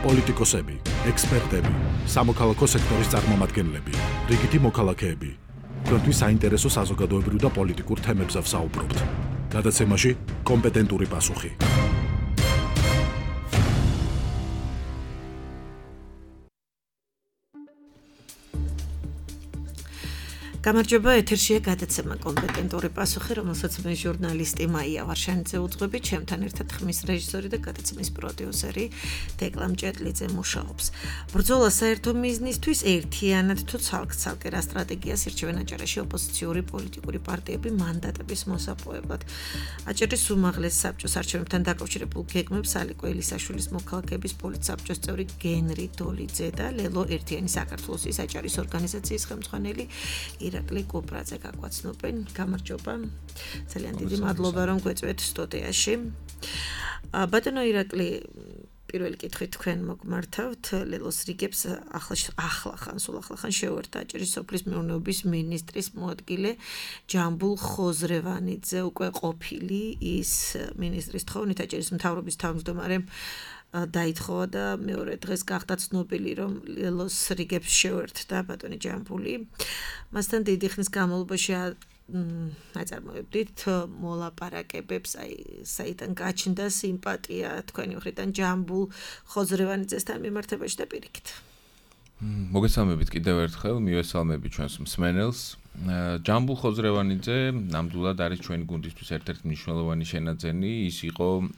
პოლიტიკოსები, ექსპერტები, სამოქალაქო სექტორის წარმომადგენლები, რიგითი მოქალაქეები. Თქვენთვის საინტერესო საზოგადოებრივ და პოლიტიკურ თემებზე ვსაუბრობთ. გადაცემაში კომპეტენტური პასუხი. გამარჯობა, ეთერშია გადაცემა კომპეტენტური პასუხი, რომელსაც მე ჟურნალისტი მაია ვარშანიძე უძღვები, ჩემთან ერთად ხმის რეჟისორი და გადაცემის პროდიუსერი დეკლა მჭეტლიძე მუშაობს. ბრძოლა საერთო მიზნისთვის ერთიანად თუ ცალკ-ცალკე რა სტრატეგიას ირჩევენ აჭარაში ოპოზიციური პოლიტიკური პარტიები მანდატების მოსაპოვებლად. აჭარის უმაღლეს საბჭოს არჩევნებთან დაკავშირებულ გეგმებს ალიკო ელისაშვილის მოქალაქეების პოლიტსაბჭოს წევრი გენრი დოლიძე და ლელო ერთიანი საქართველოს აჭარის ორგანიზაციის ხელმძღვანელი ირაკლი კუპრაძე გაგვაცნობენ. გამარჯობა. ძალიან დიდი მადლობა რომ გვეწვეთ სტუდიაში. ბატონო ირაკლი, პირველი კითხვით თქვენ მოგმართავთ. ლელოს რიგებს ახლახან შეუერთდა აჭარის სოფლის მეურნეობის მინისტრის მოადგილე ჯამბულ ხოზრევანიძე, უკვე ყოფილი ის მინისტრის თხოვნით აჭარის მთავრობის თავმჯდომარემ დაითხოვა და მეორე დღეს გახდა ცნობილი, რომ ლელოს რიგებს შეუერთდა ბატონი ჯამბული. მასთან დიდი ხნის განმავლობაში აწარმოებდით მოლაპარაკებებს, საიდან გაჩნდა სიმპათია თქვენი მხრიდან ჯამბულ ხოზრევანიძესთან მიმართებაში და პირიქით. მოგესალმებით კიდევ ერთხელ, მივესალმები ჩვენს მსმენელს. ჯამბულ ხოზრევანიძე ნამდვილად არის ჩვენი გუნდისთვის ერთ-ერთი მნიშვნელოვანი შენაძენი. ის იყო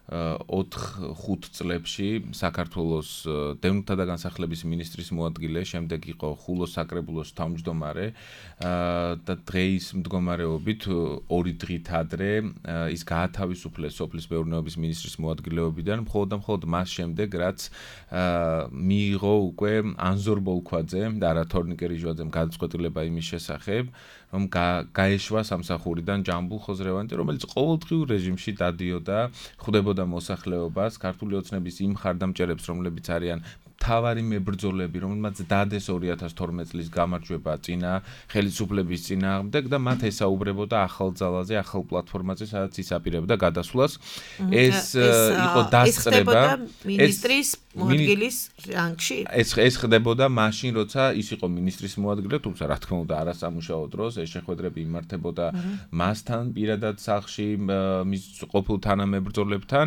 2004-5 წლებში საქართველოს დევნილთა და განსახლების მინისტრის მოადგილე, შემდეგ იყო ხულოს საკრებულოს თავმჯდომარე და დღეის მდგომარეობით 2 დღით ადრე ის გაათავისუფლეს სოფლის მეურნეობის მინისტრის მოადგილეობიდან, მხოლოდ და მხოლოდ მას შემდეგ, რაც მიიღო უკვე ანზორ ბოლქვაძემ და არა თორნიკე რიჟვაძემ გადაწყვეტილება იმის შესახებ, რომ გაეშვა სამსახურიდან ჯამბულ ხოზრევანიძე, რომელიც ყოველდღიურ რეჟიმში დადიოდა, ხვდებოდა მოსახლეობას, ქართული ოცნების იმ მხარდამჭერებს, რომლებიც არიან მთავარი მებრძოლები, რომელმაც დადეს 2012 წლის გამარჯვება წინა ხელისუფლების წინააღმდეგ და მათ ესაუბრებოდა ახალ ძალაზე, ახალ პლატფორმაზე, სადაც ის აპირებდა გადასვლას. ეს იყო დასწრება მინისტრის მოადგილის რანგში. ეს ხდებოდა მაშინ, როცა ის იყო მინისტრის მოადგილე, თუმცა რა თქმა უნდა არასამუშაო დროს ეს შეხვედრები იმართებოდა მასთან პირადად სახლში, მის ყოფილ თანამებრძოლებთან.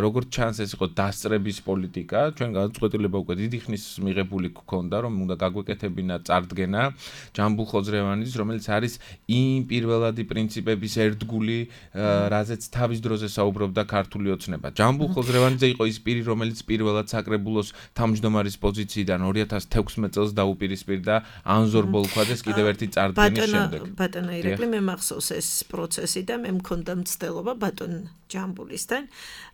როგორც ჩანს, ეს იყო დასწრების პოლიტიკა. ჩვენ გადაწყვეტილება უკვე დიდი ხნის მიღებული გქონდა, რომ უნდა გაგვეკეთებინა წარდგენა ჯამბულ ხოზრევანიძის, რომელიც არის იმ პირველადი პრინციპების ერთგული, რაზეც თავის დროზე საუბრობდა ქართული ოცნება. ჯამბულ ხოზრევანიძე იყო ის პირი, რომელიც პირველად საკრებულოს თავმჯდომარის პოზიციიდან 2016 წელს დაუპირისპირდა ანზორ ბოლქვაძეს კიდევ ერთი წარდგენის შემდეგ. ბატონო ირაკლი, მე მახსოვს ეს პროცესი და მე მქონდა მცდელობა ბატონ ჯამბულისთან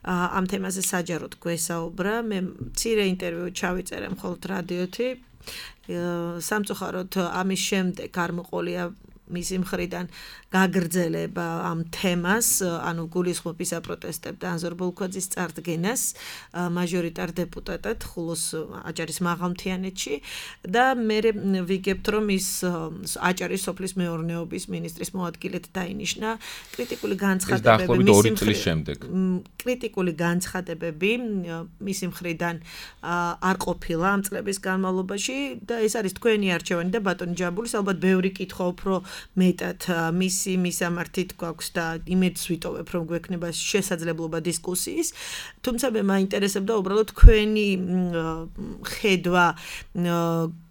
ამ თემაზე საჯაროდ გვესაუბრა. მე მცირე ინტერვიუ ჩავიწერე მხოლოდ რადიოთი. სამწუხაროდ ამის შემდეგ არ მოყოლია მისი მხრიდან გაგრძელება ამ თემას, ანუ გულისხმობის აპროტესტებდა ანზორ ბოლქვაძის წარდგენას მაჟორიტარ დეპუტატად ხულოს აჭარის მაღალმთიანეთში და მე ვიგებთ, რომ ის აჭარის სოფლის მეურნეობის მინისტრის მოადგილედ დაინიშნა. კრიტიკული განცხადებები მისი მხრიდან არ ყოფილა ამ წლების განმავლობაში და ეს არის თქვენი არჩევანი და ბატონი ჯამბულის ალბათ ბევრი კითხვა უფრო მეტად მისამართით გვაქვს და იმედს ვიტოვებ, რომ გვექნება შესაძლებლობა დისკუსიის. თუმცა მე მაინტერესებდა უბრალოდ თქვენი ხედვა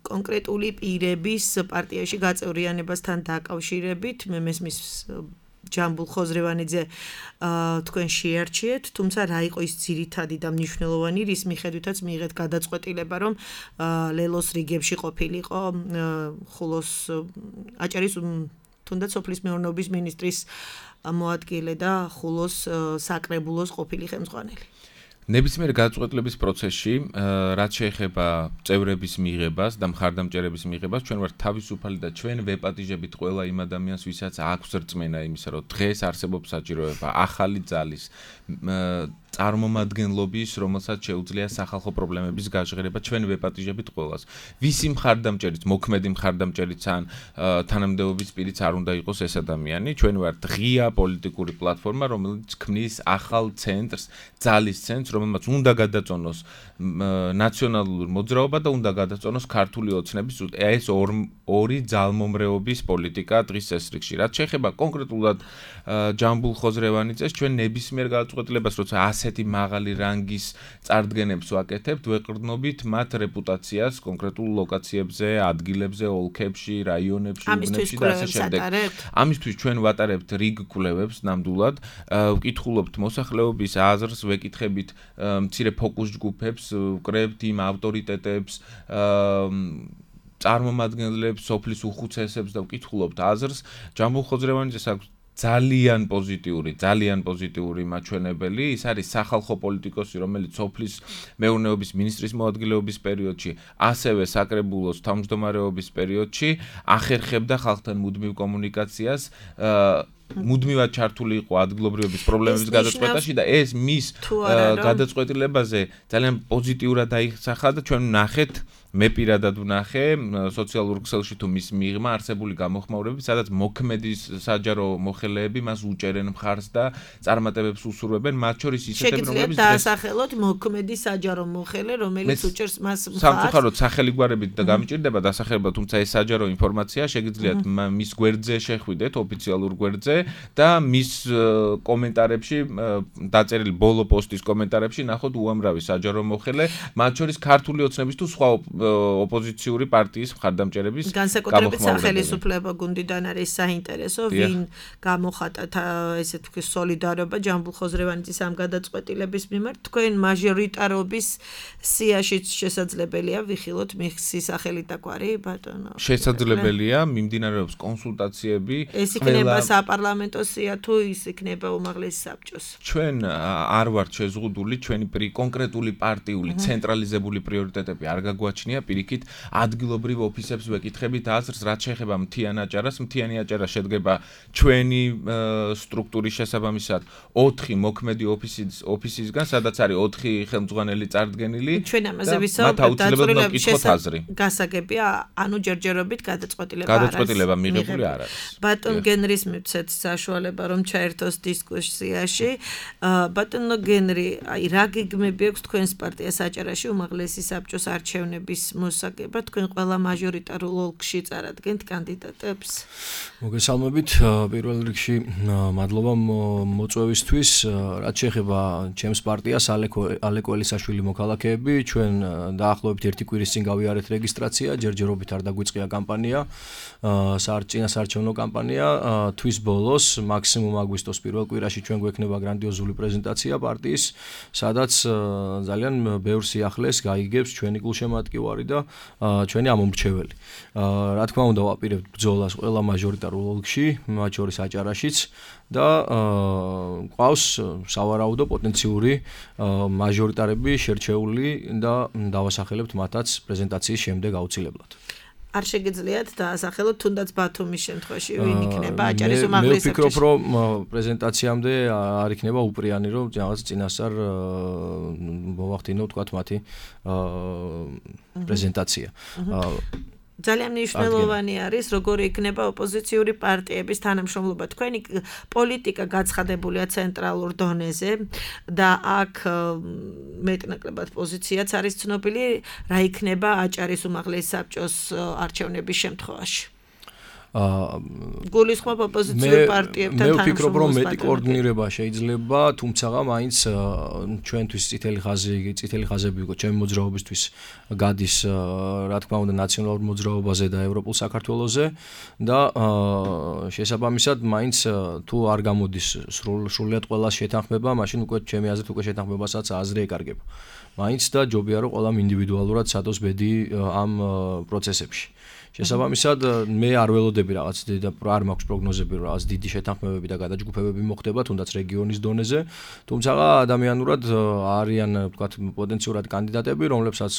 კონკრეტული პირების პარტიაში გაწევრიანებასთან დაკავშირებით. მე მესმის ჯამბულ ხოზრევანიძე თქვენ შეარჩიეთ, თუმცა რა იყო ის ძირითადი და მნიშვნელოვანი, რის მიხედვითაც მიიღეთ გადაწყვეტილება, რომ ლელოს რიგებში ყოფილიყო ხულოს აჭარის თუნდაც სოფლის მეურნეობის მინისტრის მოადგილე და ხულოს საკრებულოს ყოფილი ხელმძღვანელი. ნებისმიერ გადაწყვეტილების პროცესში, რაც შეეხება წევრების მიღებას და მხარდამჭერების მიღებას, ჩვენ ვართ თავისუფალი და ჩვენ ვეპატიჟებით ყველა იმ ადამიანს, ვისაც აქვს რწმენა იმისა, რომ დღეს არსებობს საჭიროება ახალი ძალის წარმომადგენლობის, რომელსაც შეუძლია სახალხო პრობლემების გაჟღერება ჩვენ ვეპატიჟებით ყველას. ვისი მხარდამჭერიც, მოქმედი მხარდამჭერიც ან თანამდებობის პირიც არ უნდა იყოს ეს ადამიანი. ჩვენ ვართ ღია პოლიტიკური პლატფორმა, რომელიც ქმნის ახალ ცენტრს, ძალის ცენტრს, რომელმაც უნდა გადაწონოს ნაციონალური მოძრაობა და უნდა გადაწონოს ქართული ოცნების ეს ორი ძალმომრეობის პოლიტიკა დღის წესრიგში. რაც შეეხება კონკრეტულად ჯამბულ ხოზრევანიძეს, ჩვენ ნებისმიერ გადაწყვეტილებას, როცა ასეთი მაღალი რანგის წარდგენებს ვაკეთებთ, ვეყრდნობით მათ რეპუტაციას კონკრეტულ ლოკაციებზე, ადგილებზე, ოლქებში, რაიონებში, უბნებში და ასე შემდეგ. ამისთვის ჩვენ ვატარებთ რიგ კვლევებს ნამდვილად, ვკითხულობთ მოსახლეობის აზრს, ვეკითხებით მცირე ფოკუს ჯგუფებს, ვკრებთ იმ ავტორიტეტებს, წარმომადგენლებს, სოფლის უხუცესებს და ვკითხულობთ აზრს. ჯამბულ ხოზრევანიძეს აქვს ძალიან პოზიტიური მაჩვენებელი. ის არის სახალხო პოლიტიკოსი, რომელიც სოფლის მეურნეობის მინისტრის მოადგილეობის პერიოდში, ასევე საკრებულოს თავმჯდომარეობის პერიოდში ახერხებდა ხალხთან მუდმივ კომუნიკაციას. მუდმივად ჩართული იყო ადგილობრივების პრობლემების გადაწყვეტაში და ეს მის გადაწყვეტილებაზე ძალიან პოზიტიურად აიხსახა და ჩვენ ვნახეთ, მე პირადად ვნახე სოციალურ ქსელში თუ მის მიღმა არსებული გამოხმაურები, სადაც მოქმედი საჯარო მოხელეები მას უჭერენ მხარს და წარმატებებს უსურვებენ, მათ შორის ისეთები, რომლებიც დაასახელოთ მოქმედი საჯარო მოხელე, რომელიც უჭერს მას მხარს. სამწუხაროდ სახელი გვარებით და გამიჭირდება დასახელება, თუმცა ეს საჯარო ინფორმაცია შეგიძლიათ მის გვერდზე შეხვიდეთ, ოფიციალურ გვერდზე და მის კომენტარებში, დაწერილი ბოლო პოსტის კომენტარებში ნახოთ უამრავი საჯარო მოხელე, მათ შორის ქართული ოცნების თუ სხვა ოპოზიციური პარტიის მხარდამჭერების განსაკუთრებით სახელისუფლება გუნდიდან არის საინტერესო, ვინ გამოხატა ესე თქვი სოლიდარობა ჯამბულ ხოზრევანიძის ამ გადაწყვეტილების მიმართ. თქვენ მაჟორიტარობის სიაშიც შესაძლებელია ვიხილოთ მისი სახელით დაგვარი ბატონო. შესაძლებელია, მიმდინარეობს კონსულტაციები. ეს იქნება საპარლამენტო სია თუ ის იქნება უმაღლესი საბჭოს. ჩვენ არ ვართ შეზღუდული, ჩვენი კონკრეტული პარტიული ცენტრალიზებული პრიორიტეტები არ გაგვაჩნია. Პირიქით ადგილობრივ ოფისებს ვეკითხებით აზრს, რაც შეეხება მთიან აჭარას. მთიანი აჭარა შედგება ჩვენი სტრუქტურის შესაბამისად 4 მოქმედი ოფისისგან, სადაც არის 4 ხელმძღვანელი წარდგენილი. ჩვენ ამაზე ვისაუბრებთ, დაწყვილებით გასაგებია, ანუ ჯერჯერობით გადაწყვეტილება მიღებული არ არის. ბატონ გენრის მივცეთ საშუალება რომ ჩაერთოს დისკუსიაში. ბატონო გენრი, აი რა გეგმები აქვს თქვენს პარტიას აჭარაში უმაღლესი საბჭოს არჩევნების მოსაგებად, თქვენ ყველა მაჟორიტარულ ოლქში წარადგენთ კანდიდატებს? მოგესალმებით, პირველ რიგში მადლობა მოწვევისთვის. რაც შეეხება ჩემს პარტიას, ალეკო ელისაშვილი მოქალაქეები, ჩვენ დაახლოებით 1 კვირის წინ გავიარეთ რეგისტრაცია, ჯერჯერობით არ დაგვიწყია კამპანია, წინასაარჩევნო კამპანია. თვის ბოლოს, მაქსიმუმ აგვისტოს პირველ კვირაში ჩვენ გვექნება გრანდიოზული პრეზენტაცია პარტიის, სადაც ძალიან ბევრ სიახლეს გაიგებს ჩვენი გულშემატკივარი და ჩვენი ამომრჩეველი. რა თქმა უნდა, ვაპირებთ ბრძოლას ყველა მაჟორიტარულ ოლქში, მათ შორის აჭარაშიც და ყავს სავარაუდო პოტენციური მაჟორიტარები შერჩეული და დავასახელებთ მათაც პრეზენტაციის შემდეგ აუცილებლად. არ შეგიძლიათ დაასახელოთ თუნდაც ბათუმის შემთხვევაში ვინ იქნება აჭარის უმაღლესი მე ვფიქრობ, რომ პრეზენტაციამდე არ იქნება უპრიანი, რომ რაღაც წინასწარ მოვახდინო თქვათ მათი პრეზენტაცია. ძალიან მნიშვნელოვანი არის, როგორი იქნება ოპოზიციური პარტიების თანამშრომლობა. თქვენი პოლიტიკა გაცხადებულია ცენტრალურ დონეზე და აქ მეტნაკლებად პოზიციაც არის ცნობილი, რა იქნება აჭარის უმაღლესი საბჭოს არჩევნების შემთხვევაში. გულისხმობ ოპოზიციურ პარტიებთან თანამშრომლობას. მე ვფიქრობ, რომ მეტი კოორდინირება შეიძლება, თუმცა მაინც ჩვენთვის წითელი ხაზები იყო ჩემი მოძრაობისთვის გადის, რა თქმა უნდა, ნაციონალურ მოძრაობაზე და ევროპულ საქართველოზე და შესაბამისად მაინც თუ არ გამოდის სრულიად ყველა შეთანხმება, მაშინ უკვე ჩემი აზრით უკვე შეთანხმებასაც აზრი ეკარგება. მაინც და ჯობია რომ ყველამ ინდივიდუალურად სადოს ბედი ამ პროცესებში. შესაბამისად მე არ ველოდები რაღაც არ მაქვს პროგნოზები რომ რაღაც დიდი შეთანხმებები და გადაჯგუფებები მოხდება თუნდაც რეგიონის დონეზე, თუმცა ადამიანურად არიან ვთქვათ პოტენციურად კანდიდატები, რომლებსაც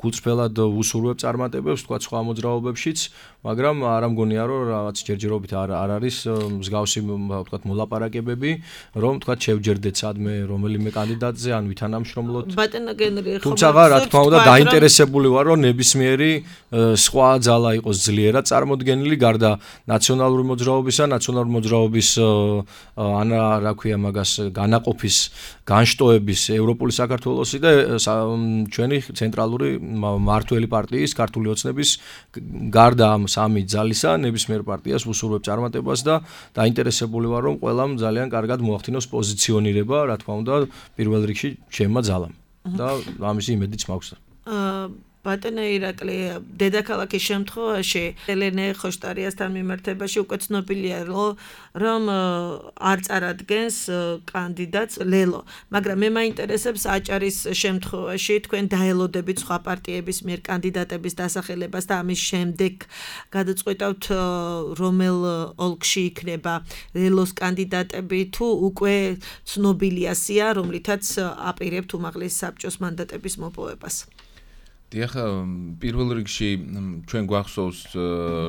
გულწრფელად უსურვებ წარმატებებს ვთქვათ სხვა მოძრაობებშიც, მაგრამ არ ამგონია რომ რაღაც ჯერჯერობით არ არის მსგავსი ვთქვათ მოლაპარაკებები, რომ ვთქვათ შევჯერდეთ სადმე რომელიმე კანდიდატზე ან ვითანამშრომლოთ. ბატონო გენრი თუმცა რა თქმა უნდა დაინტერესებული ვარ რომ ნებისმიერი სხვა ძალა იყოს ძლიერად წარმოდგენილი გარდა ნაციონალური მოძრაობისა, ნაციონალური მოძრაობის რა ქვია მაგას განაყოფის განშტოების ევროპული საქართველოსი და ჩვენი ცენტრალური მმართველი პარტიის ქართული ოცნების გარდა ამ სამი ძალისა ნებისმიერ პარტიას უსურვებ წარმატებას და დაინტერესებული ვარ რომ ყველამ ძალიან კარგად მოახდინოს პოზიციონირება, რა თქმა უნდა, პირველ რიგში ჩემმა ძალამ და ამისი იმედიც მაქვს. ბატონო ირაკლი, დედაქალაქის შემთხვევაში ელენე ხოშტარიასთან მიმართებაში უკვე ცნობილია რომ არ წარადგენს კანდიდატს ლელო, მაგრამ მე მაინტერესებს აჭარის შემთხვევაში თქვენ დაელოდებით სხვა პარტიების მიერ კანდიდატების დასახელებას და ამის შემდეგ გადაწყვეტავთ რომელ ოლქში იქნება ლელოს კანდიდატები თუ უკვე ცნობილია სია, რომლითაც აპირებთ უმაღლეს საბჭოს მანდატების მოპოვებას. დიახ, პირველ რიგში ჩვენ გვახსოვს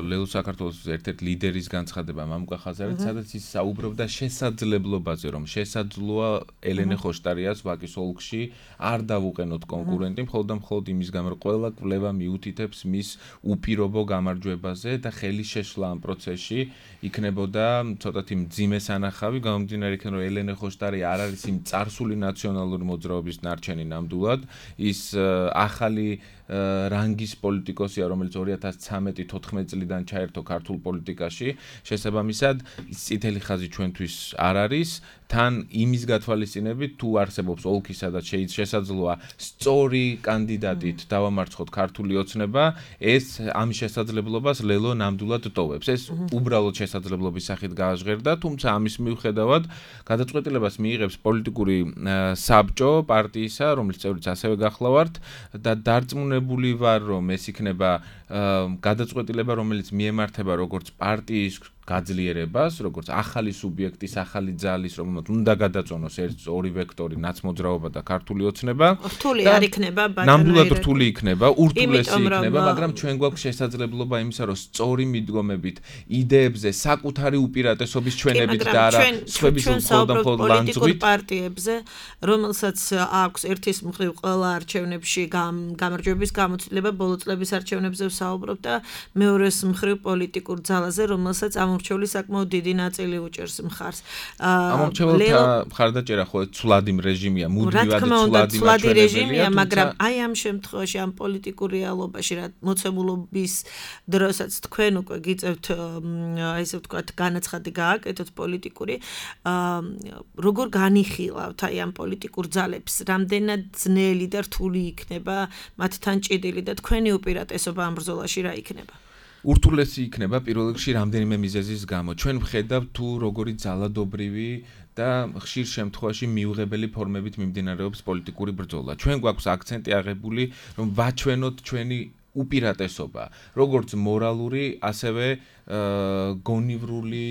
ლელო საქართველოს ერთ-ერთ ლიდერის განცხადება მამუკა ხაზარით, სადაც ის საუბრობდა შესაძლებლობაზე, რომ შესაძლოა ელენე ხოშტარიას ვაკის ოლქში არ დავუყენოთ კონკურენტი, მხოლოდ და მხოლოდ იმის გამო, რომ ყველა კვლევა მიუთითებს მის უპირობო გამარჯვებაზე და ხელი შეშლა ამ პროცესში იქნებოდა ცოტათი მძიმე სანახავი, გამომდინარე იქიდან, რომ ელენე ხოშტარი არ არის იმ წარსული ნაციონალური მოძრაობის ნარჩენი ნამდვილად, ის ახალი რანგის პოლიტიკოსია, რომელიც 2013-14 წლიდან ჩაერთო ქართულ პოლიტიკაში, შესაბამისად, წითელი ხაზი ჩვენთვის არ არის, თან იმის გათვალისწინებით, თუ არსებობს ოლქი, სადაც შესაძლოა სწორი კანდიდატით დავამარცხოთ ქართული ოცნება, ეს ამ შესაძლებლობას ლელო ნამდვილად ტოვებს. ეს უბრალოდ შესაძლებლობის სახით გააჟღერდა, თუმცა ამის მიუხედავად გადაწყვეტილებას მიიღებს პოლიტიკური საბჭო პარტიისა, რომლის წევრიც ასევე გახლავართ და დარწმუნებული ვარ, რომ ეს იქნება გადაწყვეტილება, რომელიც მიემართება როგორც პარტიის გაძლიერებას, როგორც ახალი სუბიექტის, ახალი ძალის, რომელმაც უნდა გადაწონოს ორი ვექტორი, ნაცმოძრაობა და ქართული ოცნება. რთული არ იქნება, ბატონო. ნამდვილად რთული იქნება, ურთულესი იქნება, მაგრამ ჩვენ გვაქვს შესაძლებლობა იმისა, რომ სწორი მიდგომებით, იდეებზე, საკუთარი უპირატესობის ჩვენებით და არა სხვების მხოლოდ ლანძღვით პარტიებზე, რომელსაც აქვს ერთის მხრივ ყველა არჩევნებში გამარჯვების გამოცდილება, ბოლო წლების არჩევნებზე ვსაუბრობ და მეორეს მხრივ პოლიტიკურ ძალაზე, რომელსაც ამორჩეული საკმაოდ დიდი ნაწილი უჭერს მხარს. ამორჩეულთა მხარდაჭერა ხო ცვლადი რეჟიმია, მუდმივად ცვლადი რეჟიმია, მაგრამ აი ამ შემთხვევაში ამ პოლიტიკურ რეალობაში რა მოცემულობის დროსაც თქვენ უკვე გიწევთ ესე ვთქვათ განაცხადი გააკეთოთ პოლიტიკური, როგორ განიხილავთ აი ამ პოლიტიკურ ძალებს, რამდენად ძნელი და რთული იქნება მათთან ჭიდილი და თქვენი უპირატესობა ამ ბრძოლაში რა იქნება? ურთულესი იქნება პირველ რიგში რამდენიმე მიზეზის გამო. ჩვენ ვხედავთ თუ როგორი ძალადობრივი და ხშირ შემთხვევაში მიუღებელი ფორმებით მიმდინარეობს პოლიტიკური ბრძოლა. ჩვენ გვაქვს აქცენტი აღებული, რომ ვაჩვენოთ ჩვენი უპირატესობა, როგორც მორალური, ასევე გონივრული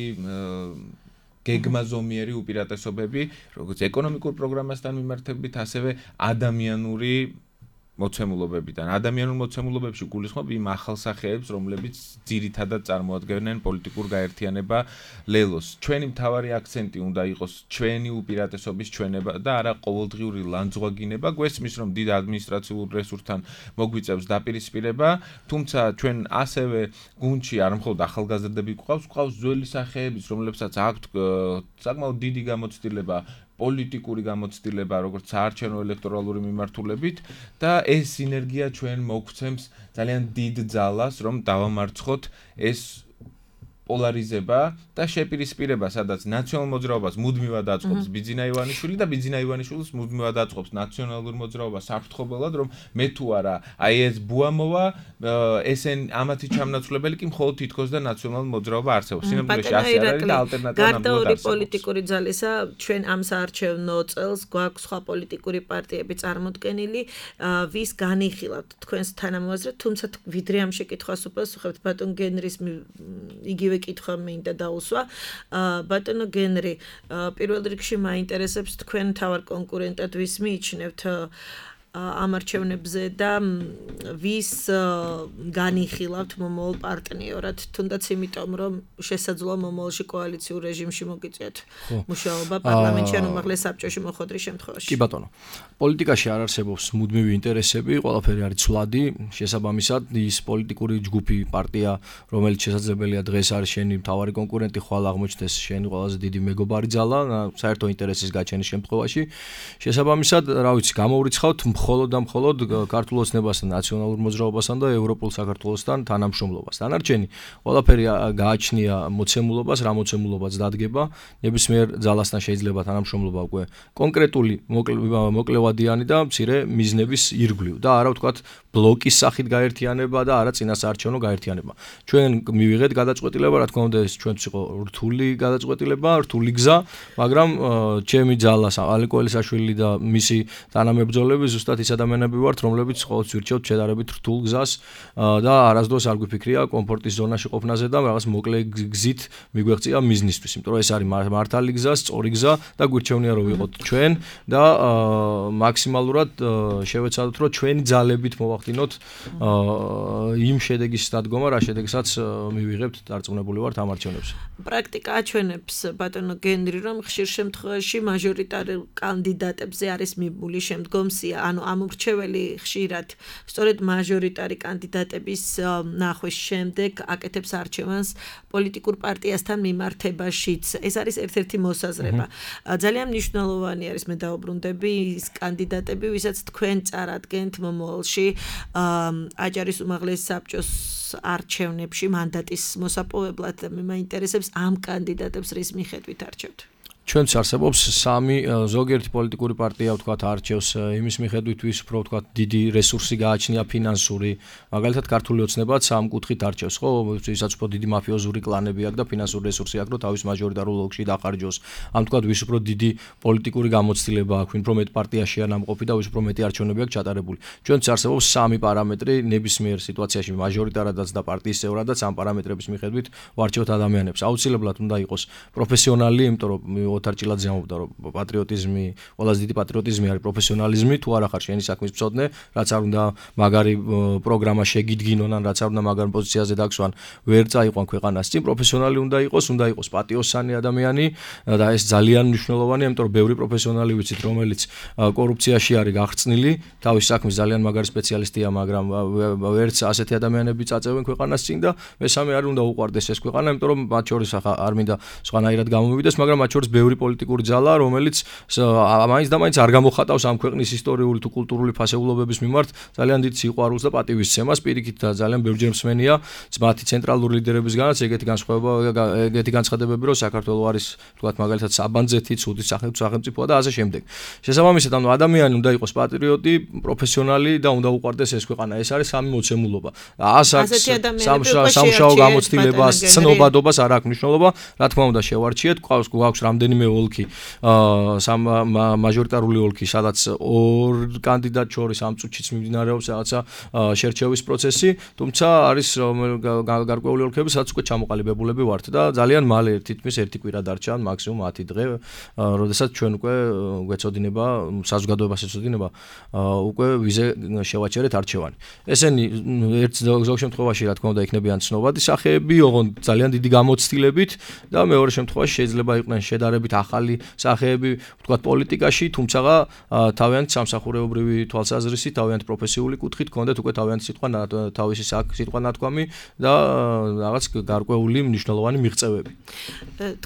გეგმაზომიერი უპირატესობები, როგორც ეკონომიკურ პროგრამასთან მიმართებით, ასევე ადამიანური მოცემულობებიდან. ადამიანურ მოცემულობებში გულისხმობ იმ ახალსახეებს, რომლებიც ძირითადად წარმოადგენენ პოლიტიკურ გაერთიანება ლელოს. ჩვენი მთავარი აქცენტი უნდა იყოს ჩვენი უპირატესობის ჩვენება და არა ყოველდღიური ლანძღვაგინება. გვესმის, რომ დიდ ადმინისტრაციულ რესურსთან მოგვიწევს დაპირისპირება, თუმცა ჩვენ ასევე გუნდში არ მხოლოდ ახალგაზრდები გვყავს ძველი სახეებიც, რომლებსაც აქვთ საკმაოდ დიდი გამოცდილება პოლიტიკური გამოცდილება, როგორც საარჩევნო ელექტორალური მიმართულებით და ეს სინერგია ჩვენ მოგცემს ძალიან დიდ ძალას, რომ დავამარცხოთ ეს პოლარიზება და შეპირისპირება, სადაც ნაციონალურ მოძრაობას მუდმივად აწყობს ბიძინა ივანიშვილი და ბიძინა ივანიშვილის მუდმივად აწყობს ნაციონალურ მოძრაობას საფრთხობელად, რომ მე თუ არა, აი ეს ბუამოვა, ესენ ამათი ჩამნაცვლებელი კი მხოლოდ თითქოს და ნაციონალურ მოძრაობა არსებობს. სინამდვილეში ასე არ არის და ალტერნატივა ნამდვილად გარდა არსებობს. პოლიტიკური ძალისა, ჩვენ ამ საარჩევნო წელს გვაქვს სხვა პოლიტიკური პარტიები წარმოდგენილი, ვის განიხილავთ თქვენს თანამოაზრედ, თუმცა ვიდრე ამ შეკითხვას უპასუხებთ ბატონ გენრის იგივე კითხვა მინდა დაუსვა. ბატონო გენრი, პირველ რიგში მაინტერესებს თქვენ თავარ კონკურენტად ვის მიიჩნევთ ამ არჩევნებზე და ვის განიხილავთ მომავალ პარტნიორად, თუნდაც იმიტომ, რომ შესაძლოა მომავალში კოალიციურ რეჟიმში მოგიწიოთ მუშაობა პარლამენტში ან უმაღლეს საბჭოში მოხდრის შემთხვევაში. კი ბატონო. პოლიტიკაში არ არსებობს მუდმივი ინტერესები, ყველაფერი არის ცვლადი, შესაბამისად ის პოლიტიკური ჯგუფი, პარტია, რომელიც შესაძლებელია დღეს არის შენი მთავარი კონკურენტი, ხვალ აღმოჩნდეს შენი ყველაზე დიდი მეგობარი ძალა, საერთო ინტერესის გაჩენის შემთხვევაში. შესაბამისად, რა ვიცი, გამოვრიცხავთ მხოლოდ და მხოლოდ ქართულ ოცნებასთან, ნაციონალურ მოძრაობასთან და ევროპულ საქართველოსთან თანამშრომლობას. დანარჩენი ყველაფერი გააჩნია მოცემულობას, რა მოცემულობაც დადგება, ნებისმიერ ძალასთან შეიძლება თანამშრომლობა უკვე კონკრეტული მოკლევადიანი და მცირე მიზნების ირგვლივ და არა ვთქვათ ბლოკის სახით გაერთიანება და არა წინასაარჩევნო გაერთიანება. ჩვენ მივიღეთ გადაწყვეტილება, რა თქმა უნდა, ეს ჩვენც იყო რთული გადაწყვეტილება, რთული გზა, მაგრამ ჩემი ძალა ალეკო ელისაშვილი და მისი თანამებრძოლები ზუსტად ის ადამიანები ვართ, რომლებიც ყოველთვის ვირჩევთ შედარებით რთულ გზას და არასდროს არ გვიფიქრია კომფორტის ზონაში ყოფნაზე და რაღაც მოკლე გზით მიგვეღწია მიზნისთვის, იმიტომ რომ ეს არის მართალი გზა, სწორი გზა და გვირჩევნია რომ ვიყოთ ჩვენ და მაქსიმალურად შევეცადოთ რომ ჩვენი ძალებით მოვახდინოთ იმ შედეგის დადგომა, რა შედეგსაც მივიღებთ, დარწმუნებული ვართ ამ არჩევნებზე. პრაქტიკა აჩვენებს ბატონო გენრი, რომ ხშირ შემთხვევაში მაჟორიტარულ კანდიდატებზე არის მიბული შემდგომსია, ანუ ამორჩეველი ხშირად სწორედ მაჟორიტარი კანდიდატების ნახვის შემდეგ აკეთებს არჩევანს პოლიტიკურ პარტიასთან მიმართებაშიც. ეს არის ერთ-ერთი მოსაზრება. ძალიან მნიშვნელოვანი არის, მე დაუბრუნდები, ის კანდიდატები, ვისაც თქვენ წარადგენთ მომავალში აჭარის უმაღლეს საბჭოს არჩევნებში მანდატის მოსაპოვებლად და მე მაინტერესებს ამ კანდიდატებს რის მიხედვით არჩევთ. ჩვენც არსებობს სამი ზოგიერთი პოლიტიკური პარტია ვთქვათ არჩევს იმის მიხედვით ვის უფრო ვთქვათ დიდი რესურსი გააჩნია ფინანსური, მაგალითად ქართული ოცნებაც ამ კუთხით არჩევს, ხო, ვისაც უფრო დიდი მაფიოზური კლანები აქვს და ფინანსური რესურსი აქვს, რომ თავის მაჟორიტარულ ოლქში დახარჯოს. ამ ვთქვათ ვის უფრო დიდი პოლიტიკური გამოცდილება აქვს, ვინ უფრო მეტ პარტიაშია ნამყოფი და ვის უფრო მეტი არჩევნები აქვს ჩატარებული. ჩვენც არსებობს სამი პარამეტრი ნებისმიერ სიტუაციაში მაჟორიტარადაც და პარტიის წევრადაც ამ პარამეტრების მიხედვით ვარჩევთ ადამიანებს. აუცილებლად უნდა იყოს პროფესიონალი, იმიტომ რომ ოთარჭილად ზემობდა რომ პატრიოტიზმი, ყველაზე დიდი პატრიოტიზმი არის პროფესიონალიზმი, თუ არა ხარ შენი საქმის მწოდნე, რაც არ უნდა მაგარი პროგრამა შეგიდგინონ ან რაც არ უნდა მაგარ პოზიციაზე დაგსვან, ვერ წაიყვან ქვეყანას წინ, პროფესიონალი უნდა იყოს პატიოსანი ადამიანი და ეს ძალიან მნიშვნელოვანია, იმიტომ რომ ბევრი პროფესიონალი ვიცით, რომელიც კორუფციაში არის გახსნილი, თავის საქმის ძალიან მაგარი სპეციალისტია, მაგრამ ვერც ასეთი ადამიანები წაწევენ ქვეყანას წინ და მესამე არის უნდა უყვარდეს ეს ქვეყანა, იმიტომ რომ მათ შორის არ მინდა სხვანაირად გამომივიდეს, მაგრამ მათ შორის ბევრი პოლიტიკური ძალა, რომელიც მაინც და მაინც არ გამოხატავს ამ ქვეყნის ისტორიული თუ კულტურული ფასეულობების მიმართ ძალიან დიდ სიყვარულს და პატივისცემას, პირიქით და ძალიან ბევრჯერ მსმენია მათი ცენტრალური ლიდერებისგანაც ეგეთი განცხადებები, რომ საქართველო არის თქვათ მაგალითად საბანძეთი, ცუდი სახელმწიფოა და ასე შემდეგ. შესაბამისად, ანუ ადამიანი უნდა იყოს პატრიოტი, პროფესიონალი და უნდა უყვარდეს ეს ქვეყანა. ეს არის სამი მოცემულობა. სამშაო გამოცდილებას, ცნობადობას არ აქვს მნიშვნელობა, რა თქმა უნდა შევარჩიეთ, გვაქვს რამდენიმე ოლქი, მაჟორიტარული ოლქი, სადაც ორ კანდიდატ შორის ამ წუთშიც მიმდინარეობს რაღაცა შერჩევის პროცესი, თუმცა არის გარკვეული ოლქები, სადაც უკვე ჩამოყალიბებულები ვართ და ძალიან მალე თითქმის ერთი კვირა დარჩა, მაქსიმუმ 10 დღე, როდესაც ჩვენ უკვე გვეწოდინება, საზოგადოებას ეწოდინება უკვე ვიზე შევაჩერეთ არჩევანი. ესენი ერთ ზოგ შემთხვევაში რა თქმა უნდა იქნებიან ცნობადი სახეები, ოღონდ ძალიან დიდი გამოცდილებით და მეორე შემთხვევაში შეიძლება იყვნენ შედარებით შედარებით ახალი სახეები ვთქვათ პოლიტიკაში, თუმცა თავიანთი სამსახურეობრივი თვალსაზრისით, თავიანთი პროფესიული კუთხით ჰქონდათ უკვე თავიანთი თავისი სიტყვა ნათქვამი და რაღაც გარკვეული მნიშვნელოვანი მიღწევები.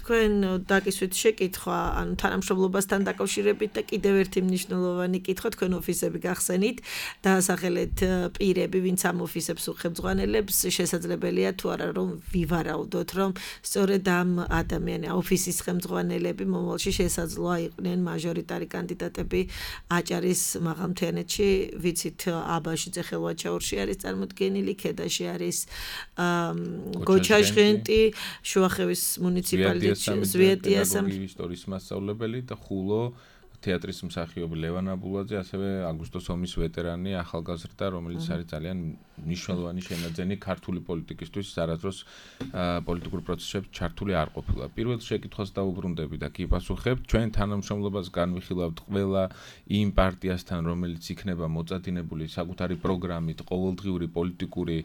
თქვენ დაგისვით შეკითხვა, ანუ თანამშრომლობასთან დაკავშირებით და კიდევ ერთი მნიშვნელოვანი კითხვა, თქვენ ოფისები გახსენით, დაასახელეთ პირები, ვინც ამ ოფისებს უხელმძღვანელებს, შესაძლებელია თუ არა რომ ვივარაუდოთ, რომ სწორედ ამ ოფისის ხელმძღვანელები მომავალში შესაძლოა იყვნენ მაჟორიტარი კანდიდატები აჭარის მაღალმთიანეთში, ვიცით აბაშიძე ხელვაჩაურში არის წარმოდგენილი, ქედაში არის გოჩაჟღენტი, შუახევის მუნიციპალიტეტში ზვიეტიას ისტორიის მასწავლებელი და ხულო თეატრის მსახიობი ლევან აბულაძე, ასევე აგვისტოს ომის ვეტერანი, ახალგაზრდა, რომელიც არის ძალიან მნიშვნელოვანი შენაძენი ქართული პოლიტიკისთვის, არასდროს პოლიტიკურ პროცესებში ჩართული არ ყოფილა. პირველ შეკითხვას დაუბრუნდები და კი პასუხებ, ჩვენ თანამშრომლობას განვიხილავთ ყველა იმ პარტიასთან, რომელიც იქნება მოწადინებული საკუთარი პროგრამით, ყოველდღიური პოლიტიკური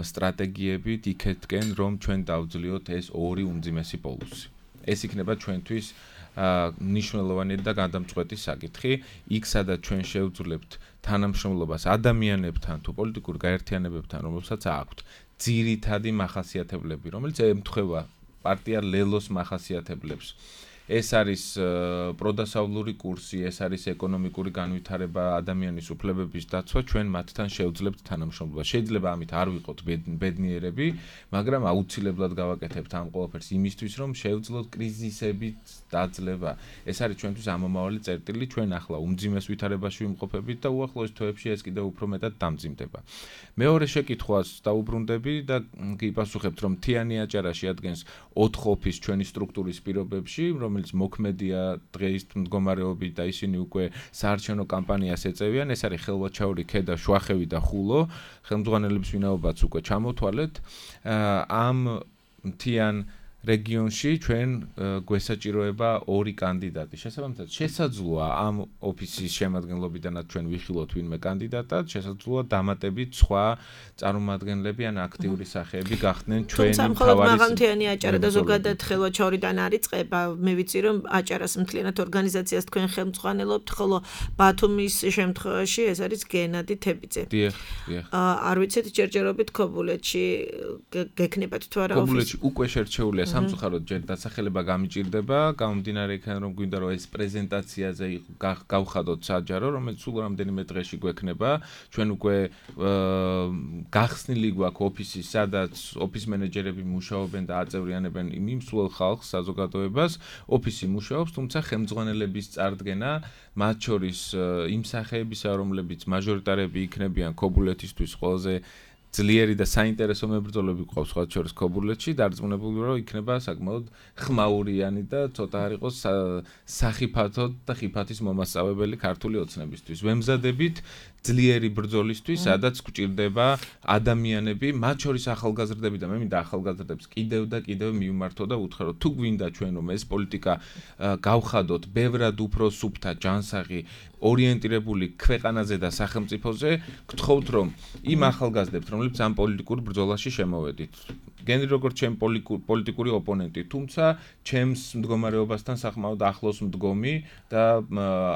სტრატეგიებით იქეთკენ, რომ ჩვენ დავძლიოთ ეს ორი უმძიმესი პოლუსი. ეს იქნება ჩვენთვის მნიშვნელოვანი და გადამწყვეტი საკითხი, იქ სადაც ჩვენ შევძლებთ თანამშრომლობას ადამიანებთან თუ პოლიტიკურ გაერთიანებებთან, რომელსაც აქვთ ძირითადი მახასიათებლები, რომელიც ემთხვევა პარტია ლელოს მახასიათებლებს. ეს არის პროდასავლური კურსი, ეს არის ეკონომიკური განვითარება, ადამიანის უფლებების დაცვა, ჩვენ მათთან შევძლებთ თანამშრომლობას. შეიძლება ამით არ ვიყოთ ბედნიერები, მაგრამ აუცილებლად გავაკეთებთ ამ ყველაფერს იმისთვის, რომ შევძლოთ კრიზისებით დაძლევა. ეს არის ჩვენთვის ამომავალი წერტილი, ჩვენ ახლა უმძიმეს ვითარებაში ვიმყოფებით და უახლოეს თვეებში ეს კიდევ უფრო მეტად დამძიმდება. მეორე შეკითხვას დაუბრუნდები და გიპასუხებთ, რომ მთიანი აჭარა შეადგენს 4 ოფისს ჩვენი სტრუქტურის პირობებში, რომელიც მოქმედია დღეის მდგომარეობით და ისინი უკვე საარჩევნო კამპანიას ეწევიან. ეს არის ხელვაჩაური, ქედა, შუახევი და ხულო. ხელმძღვანელების ვინაობაც უკვე ჩამოთვალეთ. ამ მთიან რეგიონში ჩვენ გვესაჭიროება 2 კანდიდატი. შესაბამისად, შესაძლოა ამ ოფისის შემადგენლობიდანაც ჩვენ ვიხილოთ ვინმე კანდიდატად, შესაძლოა დამატებით სხვა წარმომადგენლები ან აქტიური სახეები გახდნენ ჩვენი თავარი. თუმცა მხოლოდ მაღალმთიანი აჭარა და ზოგადად ხელვაჩაურიდან არის წყება. მე ვიცი რომ აჭარას მთლიანად ორგანიზაციას თქვენ ხელმძღვანელობთ, ხოლო ბათუმის შემთხვევაში ეს არის გენადი თებიძე. დიახ. არ ვიცით ჯერჯერობით ქობულეთში გექნებათ თუ არა ოფისი. ქობულეთში უკვე შერჩეულია სამწუხაროდ ჯერ დასახელება გამიჭირდება, გამომდინარე იქიდან რომ გვინდა რომ ეს პრეზენტაციაზე გავხადოთ საჯარო, რომელიც სულ რამდენიმე დღეში გვექნება. ჩვენ უკვე გახსნილი გვაქვს ოფისი, სადაც ოფის მენეჯერები მუშაობენ და აწევრიანებენ იმ სულ ხალხს, საზოგადოებას. ოფისი მუშაობს, თუმცა ხელმძღვანელების წარდგენა, მათ შორის იმ სახეებისა, რომლებიც მაჟორიტარები იქნებიან ქობულეთისთვის ყველაზე ძლიერი და საინტერესო მებრძოლები გვყავს სხვა შორის ქობულეთში, დარწმუნებული რომ იქნება საკმაოდ ხმაურიანი და ცოტა არ იყოს სახიფათო და ხიფათის მომასწავებელი ქართული ოცნებისთვის. ვემზადებით ძლიერი ბრძოლისთვის, სადაც გვჭირდება ადამიანები, მათ შორის ახალგაზრდები და მე მინდა ახალგაზრდებს კიდევ და კიდევ მივმართო და უთხრა, თუ გვინდა ჩვენ რომ ეს პოლიტიკა გავხადოთ ბევრად უფრო სუფთა, ჯანსაღი, ორიენტირებული ქვეყანაზე და სახელმწიფოზე, გთხოვთ რომ იმ ახალგაზრდებს, რომლებიც ამ პოლიტიკურ ბრძოლაში შემოვედით, გენრი როგორც ჩემ პოლიტიკური ოპონენტი, თუმცა ჩემს მდგომარეობასთან საკმაოდ ახლოს მდგომი და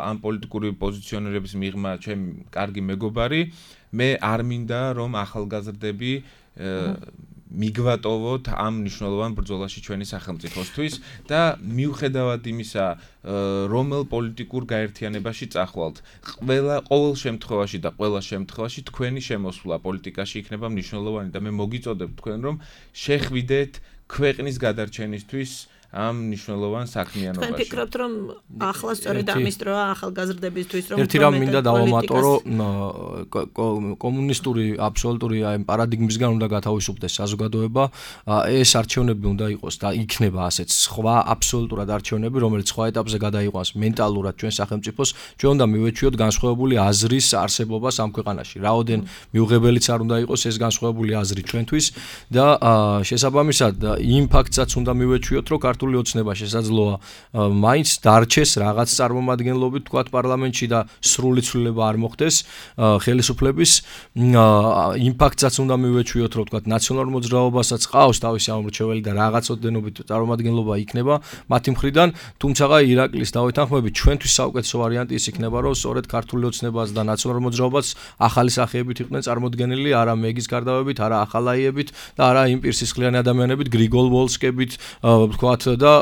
ამ პოლიტიკური პოზიციონერების მიღმა ჩემ კარგი მეგობარი, მე არ მინდა რომ ახალგაზრდები მიგვატოვოთ ამ მნიშვნელოვან ბრძოლაში ჩვენი სახელმწიფოსთვის და მიუხედავად იმისა, რომელ პოლიტიკურ გაერთიანებაში წახვალთ, ყოველ შემთხვევაში და ყველა შემთხვევაში თქვენი შემოსვლა პოლიტიკაში იქნება მნიშვნელოვანი და მე მოგიწოდებთ თქვენ რომ შეხვიდეთ ქვეყნის გადარჩენისთვის ამ მნიშვნელოვან საქმიანობაში. თქვენ ფიქრობთ რომ ახლა სწორედ ამის დროა ახალგაზრდებისთვის რომ ერთი რამ მინდა დავამატო, რომ კომუნისტური აბსოლუტური აი პარადიგმისგან უნდა გათავისუფლდეს საზოგადოება. ეს არჩევნები უნდა იყოს და იქნება ასეც სხვა აბსოლუტურად არჩევნები, რომელიც სხვა ეტაპზე გადაიყვანს მენტალურად ჩვენ სახელმწიფოს. ჩვენ უნდა მივეჩვიოთ განსხვავებული აზრის არსებობას ამ ქვეყანაში. რაოდენ მიუღებელიც არ უნდა იყოს ეს განსხვავებული აზრი ჩვენთვის და შესაბამისად იმ ფაქტსაც უნდა მივეჩვიოთ, რომ ქართული ოცნება შესაძლოა მაინც დარჩეს რაღაც წარმომადგენლობით თქვათ პარლამენტში და სრული ცვლილება არ მოხდეს ხელისუფლების იმ ფაქტსაც უნდა მივეჩვიოთ რომ თქვათ ნაციონალურ მოძრაობასაც ყავს თავისი ამორჩეველი და რაღაც ოდენობით წარმომადგენლობა იქნება მათი მხრიდან თუმცა ირაკლის დავეთანხმებით ჩვენთვის საუკეთესო ვარიანტი ის იქნება რომ სწორედ ქართული ოცნებას და ნაციონალურ მოძრაობას ახალი სახეებით იყვნენ წარმოდგენილი არა მეგის გარდავებით არა ახალაიებით და არა იმ პირსისხლიანი ადამიანებით გრიგოლ ვოლსკებით თქვათ და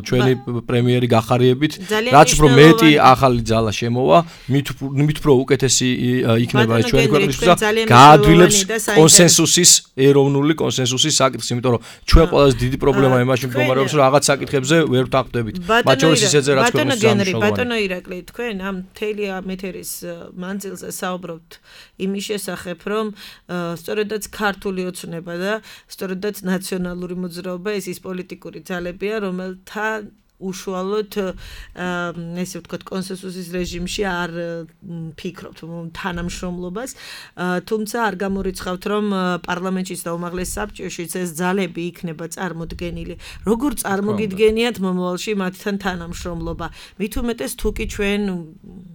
ჩვენი პრემიერი გახარიებით რაც უფრო მეტი ახალი ძალა შემოვა მით უფრო უკეთესი იქნება ეს ჩვენი ქვეყნისთვის და გაადვილებს კონსენსუსის ეროვნული კონსენსუსის საკითხს იმიტომ რომ ჩვენ ყველაზე დიდი პრობლემა იმაში მდგომარეობს რომ რაღაც საკითხებზე ვერ ვთანხმდებით მათ შორის ისეთზე რაც ქვეყნის გენერი ბატონო ირაკლი თქვენ ამ მთელი ამეთერის მანძილზე საუბრობთ იმის შესახებ რომ სწორედაც ქართული ოცნება და სწორედაც ნაციონალური მოძრაობა ეს ის პოლიტიკური ძალებია რომელთა უშუალოდ ესე ვთქვათ კონსენსუსის რეჟიმში არ ფიქრობთ თანამშრომლობას თუმცა არ გამორიცხავთ რომ პარლამენტშიც და უმაღლეს საბჭოშიც ეს ძალები იქნება წარმოდგენილი როგორ წარმოგიდგენიათ მომავალში მათთან თანამშრომლობა მით უმეტეს თუ კი ჩვენ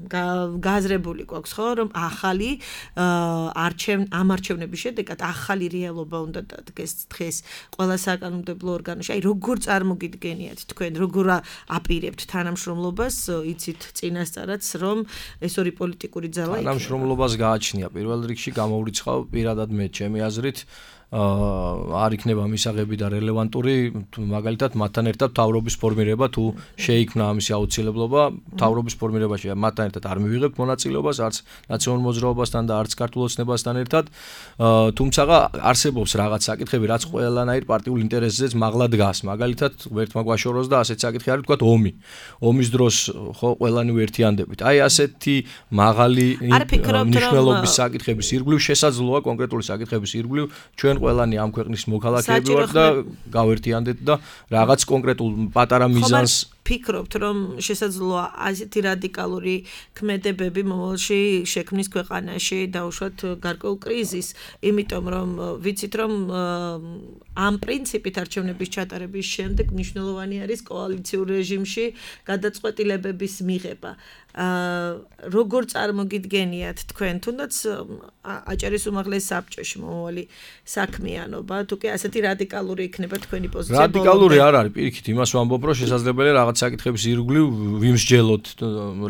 გააზრებული გვაქვს ხო რომ ახალი ამარჩევნების შედეგად ახალი რეალობა უნდა დადგეს დღეს ყველა საკანონმდებლო ორგანოში აი როგორ წარმოგიდგენიათ თქვენ როგორ აპირებთ თანამშრომლობას იცით წინასწარაც რომ ეს ორი პოლიტიკური ძალა თანამშრომლობას გააჩნია პირველ რიგში გამოვრიცხავ პირადად მე ჩემი აზრით არ იქნება მისაღები და რელევანტური მაგალითად მათთან ერთად თავრობის ფორმირება თუ შეიქმნა ამისი აუცილებლობა თავრობის ფორმირებაში მათთან ერთად არ მივიღებთ მონაწილეობას არც ნაციონალურ მოძრაობასთან და არც ქართულ ოცნებასთან ერთად თუმცა არსებობს რაღაც საკითხები რაც ყველანაირ პარტიულ ინტერესზეც მაღლა დგას მაგალითად ერთმა გვაშოროს და ასეთ საკითხი არის თქვათ ომის დროს ხო ყველანი ვერთიანდებით აი ასეთი მაღალი მნიშვნელობის საკითხების ირგვლივ შესაძლოა კონკრეტული საკითხების ირგვლივ ჩვენ ყველანი ამ ქვეყნის მოქალაქეები ვართ და გავერთიანდეთ და რაღაც კონკრეტულ პატარა მიზანს ფიქრობთ რომ შესაძლოა ასეთი რადიკალური ქმედებები მომავალში შექმნის ქვეყანაში დაუშვათ გარკვეულ კრიზისს იმიტომ რომ ვიცით რომ ამ პრინციპით არჩევნების ჩატარების შემდეგ მნიშვნელოვანი არის კოალიციურ რეჟიმში გადაწყვეტილებების მიღება როგორ წარმოგიდგენიათ თქვენ თუნდაც აჭარის უმაღლეს საბჭოში მომავალი საქმიანობა თუ კი ასეთი რადიკალური იქნება თქვენი პოზიცია რადიკალური არ არის პირიქით იმას ვამბობ რომ შესაძლებელია რაღაც საკითხების ირგვლივ ვიმსჯელოთ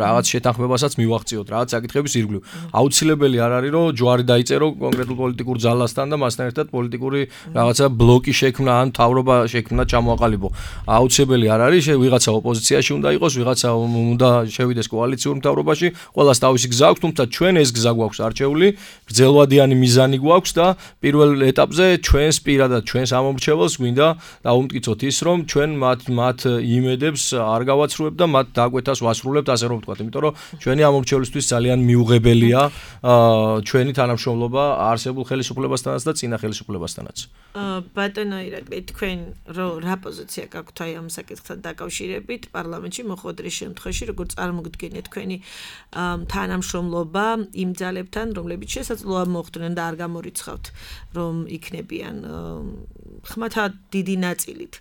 რაღაც შეთანხმებასაც მივაღწიოთ რაღაც საკითხების ირგვლივ აუცილებელი არ არის რომ ჯვარი დაიწერო კონკრეტულ პოლიტიკურ ძალასთან და მასთან ერთად პოლიტიკური რაღაცა ბლოკი შექმნა ან თავრობა შექმნა ჩამოაყალიბო აუცილებელი არ არის ვიღაცა ოპოზიციაში უნდა იყოს ვიღაცა უნდა შევიდეს კოალიციურ მთავრობაში ყველას თავისი გზა აქვს თუმცა ჩვენ ეს გზა გვაქვს არჩეული გრძელვადიანი მიზანი გვაქვს და პირველ ეტაპზე ჩვენს პირადად ჩვენს ამომრჩეველს გვინდა დაუმტკიცოთ ის რომ ჩვენ მათ იმედებს არ გავაცრუებთ და მათ დაგვეთას ვასრულებთ ასე რომ ვთქვათ იმიტომ რომ ჩვენი ამომრჩევლისთვის ძალიან მიუღებელია ჩვენი თანამშრომლობა არსებულ ხელისუფლებასთანაც და წინა ხელისუფლებასთანაც ბატონო ირაკლი თქვენ რა პოზიცია გაქვთ აი ამ საკითხთან დაკავშირებით პარლამენტში მოხვედრის შემთხვევაში როგორ წარმოგიდგენიათ თქვენი თანამშრომლობა იმ ძალებთან რომლებიც შესაძლოა მოხვდნენ და არ გამორიცხავთ რომ იქნებიან ხმათა დიდი ნაწილით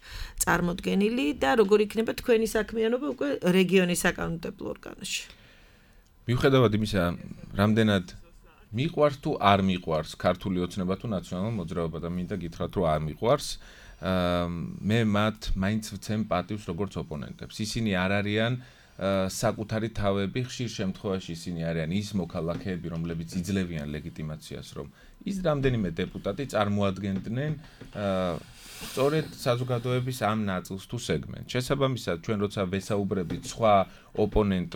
წარმოდგენილი და როგორ იქნება თქვენი საქმიანობა უკვე რეგიონის საკანონმდებლო ორგანოში მიუხედავად იმისა რამდენად მიყვარს თუ არ მიყვარს ქართული ოცნება თუ ნაციონალური მოძრაობა და მინდა გითხრათ რომ არ მიყვარს მე მათ მაინც ვცემ პატივს როგორც ოპონენტებს ისინი არ არიან საკუთარი თავები ხშირ შემთხვევაში ისინი არიან ის მოქალაქეები რომლებიც იძლევიან ლეგიტიმაციას რომ ის რამდენიმე დეპუტატი წარმოადგენდნენ სწორედ საზოგადოების ამ ნაწილს თუ სეგმენტს შესაბამისად ჩვენ როცა ვესაუბრებით სხვა ოპონენტ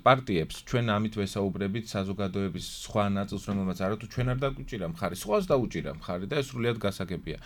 პარტიებს ჩვენ ამით ვესაუბრებით საზოგადოების სხვა ნაწილს რომელმაც არათუ ჩვენ არ დაგვიჭირა მხარი სხვას დაუჭირა მხარი და ეს სრულიად გასაგებია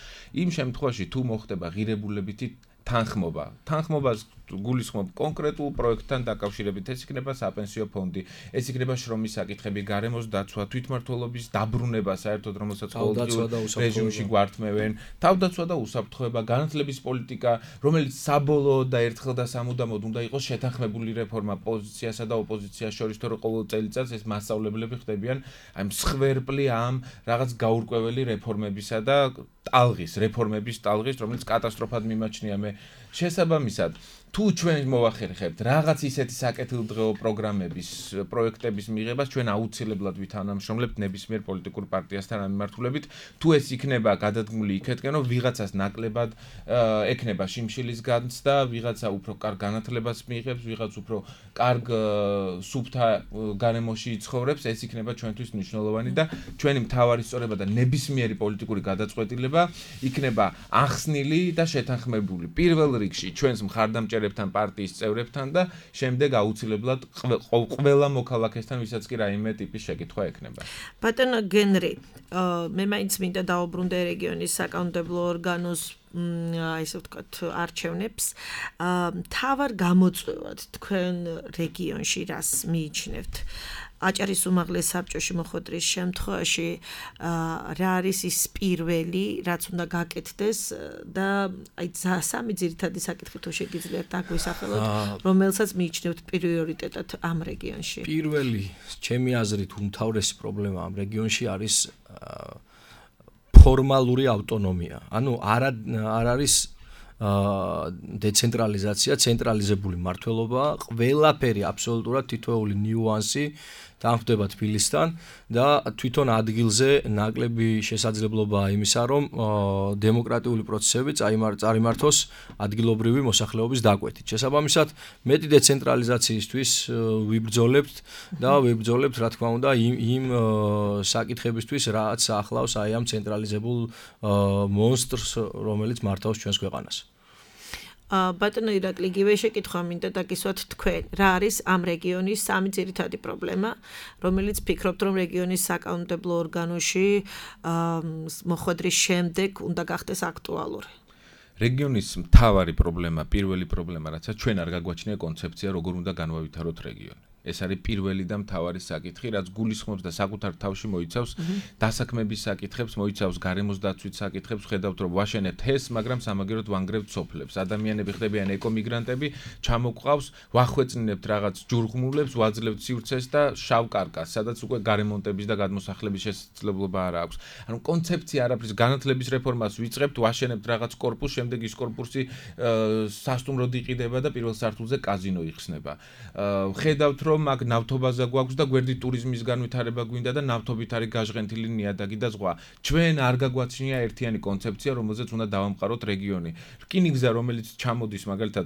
იმ შემთხვევაში თუ მოხდება ღირებულებითი თანხმობას გულისხმობ კონკრეტულ პროექტთან დაკავშირებით ეს იქნება საპენსიო ფონდი ეს იქნება შრომის საკითხები გარემოს დაცვა თვითმმართველობის დაბრუნება საერთოდ რომელსაც ყოველდღიურ რეჟიმში გვართმევენ თავდაცვა და უსაფრთხოება განათლების პოლიტიკა რომელიც საბოლოოდ და ერთხელ და სამუდამოდ უნდა იყოს შეთანხმებული რეფორმა პოზიციასა და ოპოზიციას შორის თორე ყოველ წელიწადს ეს მასშტაბლებლები ხდებიან აი მსხვერპლი ამ რაღაც გაურკვეველი რეფორმებისა და რეფორმების ტალღის რომელიც კატასტროფად მიმაჩნია მე შესაბამისად თუ ჩვენ მოვახერხებთ რაღაც ისეთი საკეთილდღეო პროგრამების, პროექტების მიღებას, ჩვენ აუცილებლად ვითანამშრომლებთ ნებისმიერ პოლიტიკურ პარტიასთან ამ მიმართულებით. თუ ეს იქნება გადადგმული იქეთკენ, რომ ვიღაცას ნაკლებად ექნება შიმშილის განცდა, ვიღაცა უფრო კარგ განათლებას მიიღებს, ვიღაც უფრო კარგ სუფთა გარემოში იცხოვრებს, ეს იქნება ჩვენთვის მნიშვნელოვანი და ჩვენი მთავარი სწორება და ნებისმიერი პოლიტიკური გადაწყვეტილება იქნება ახსნილი და შეთანხმებული. პირველ რიგში ჩვენს მხარდამჭერებთან პარტიის წევრებთან და შემდეგ აუცილებლად ყველა მოქალაქესთან, ვისაც კი რაიმე ტიპის შეკითხვა ექნება. ბატონო გენრი, მე მაინც მინდა დავუბრუნდე რეგიონის საკანონმდებლო ორგანოს ესე ვთქვათ არჩევნებს. თავარ გამოწვევად თქვენ რეგიონში რას მიიჩნევთ? აჭარის უმაღლეს საბჭოში მოხვედრის შემთხვევაში რა არის ის პირველი, რაც უნდა გაკეთდეს და აი სამი ძირითადი საკითხი თუ შეგიძლიათ დაგვისახელოთ, რომელსაც მიიჩნევთ პრიორიტეტად ამ რეგიონში. პირველი, ჩემი აზრით, უმთავრესი პრობლემა ამ რეგიონში არის ფორმალური ავტონომია. ანუ არ არის დეცენტრალიზაცია, ცენტრალიზებული მმართველობა, ყველაფერი აბსოლუტურად თითოეული ნიუანსი დამხდება თბილისთან და თვითონ ადგილზე ნაკლები შესაძლებლობაა იმისა, რომ დემოკრატიული პროცესები წარიმართოს ადგილობრივი მოსახლეობის დაკვეთით. შესაბამისად, მეტი დეცენტრალიზაციისთვის ვიბრძოლებთ და ვიბრძოლებთ, რა თქმა უნდა, იმ საკითხებისთვის, რაც ახლავს აი ამ ცენტრალიზებულ მონსტრს, რომელიც მართავს ჩვენს ქვეყანას. ბატონო ირაკლი, იგივე შეკითხვა მინდა დაგისვათ თქვენ. რა არის ამ რეგიონის სამი ძირითადი პრობლემა, რომელიც ფიქრობთ, რომ რეგიონის საკანონმდებლო ორგანოში მოხვედრის შემდეგ უნდა გახდეს აქტუალური? რეგიონის მთავარი პრობლემა, პირველი პრობლემა, რაცაც ჩვენ არ გაგვაჩნია კონცეფცია, როგორ უნდა განვავითაროთ რეგიონი. ეს არის პირველი და მთავარი საკითხი, რაც გულისხმობს და საკუთარ თავში მოიცავს დასაქმების საკითხებს, მოიცავს გარემოს დაცვის საკითხებს, ხედავთ რომ ვაშენებთ ჰეს, მაგრამ სამაგეროდ ვანგრევთ სოფლებს. ადამიანები ხდებიან ეკომიგრანტები, ჩამოყავს, ვახვეწნებთ რაღაც ჯურღმულებს, ვაძლევთ სივრცეს და შავ კარკას, სადაც უკვე გარემონტების და გადმოსახლების შესაძლებლობა არ აქვს. ანუ კონცეფცია არაფრის, განათლების რეფორმას ვიწყებთ, ვაშენებთ რაღაც კორპუსს, შემდეგ ის კორპუსი სასტუმროდ იყიდება და პირველ სართულზე კაზინო იხსნება. ხედავთ რომ მაგ ნავთობაზე გვაქვს და გვერდით ტურიზმის განვითარება გვინდა და ნავთობით არის გაჟღენთილი ნიადაგი და ზღვა. ჩვენ არ გაგვაჩნია ერთიანი კონცეფცია, რომელზეც უნდა დავამყაროთ რეგიონი. რკინიგზა, რომელიც ჩამოდის მაგალითად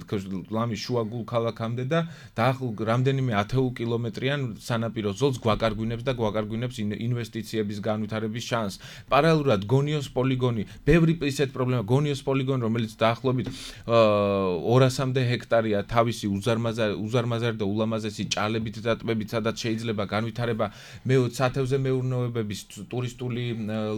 ლამის შუაგულ ქალაქამდე და რამდენიმე 10 კილომეტრიან სანაპირო ზოლს გვაკარგვინებს და გვაკარგვინებს ინვესტიციების განვითარების შანსს. პარალელურად გონიოს პოლიგონი, ბევრი ისეთ პრობლემა, გონიოს პოლიგონი, რომელიც დაახლოებით 200-მდე ჰექტარია, თავისი უზარმაზარი და ულამაზესი ჭალებით და ტბებით, სადაც შეიძლება განვითარება სათევზე მეურნეობების, ტურისტული